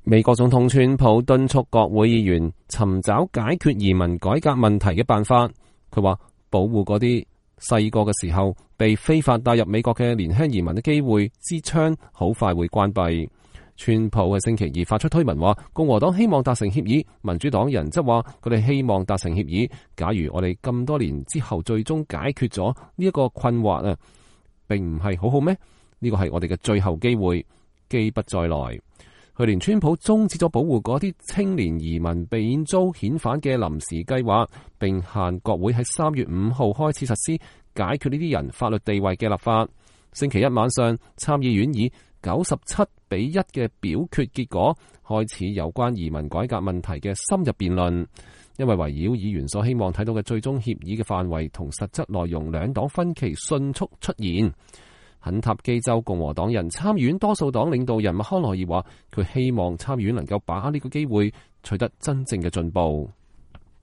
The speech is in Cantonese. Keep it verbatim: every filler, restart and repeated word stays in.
美國總統川普敦促國會議員尋找解決移民改革問題嘅辦法。佢話保護嗰啲細個嘅時候被非法帶入美國嘅年輕移民嘅機會之窗好快會關閉。川普喺星期二發出推文話，共和黨希望達成協議，民主黨人則話佢哋希望達成協議。假如我哋咁多年之後最終解決咗呢一個困惑啊，並唔係好好咩？呢個係我哋嘅最後機會，機不再來。去年川普終止咗保護嗰啲青年移民避免遭遣返嘅臨時計劃，並限國會喺三月五號開始實施解決呢啲人法律地位嘅立法。星期一晚上，參議院以九十七比一嘅表決結果，開始有關移民改革問題嘅深入辯論。因為圍繞議員所希望睇到嘅最終協議嘅範圍同實質內容，兩黨分歧迅速出現。肯塔基州共和黨人參議院多數黨領導人麥康奈爾話，佢希望參議院能夠把握呢個機會，取得真正嘅進步。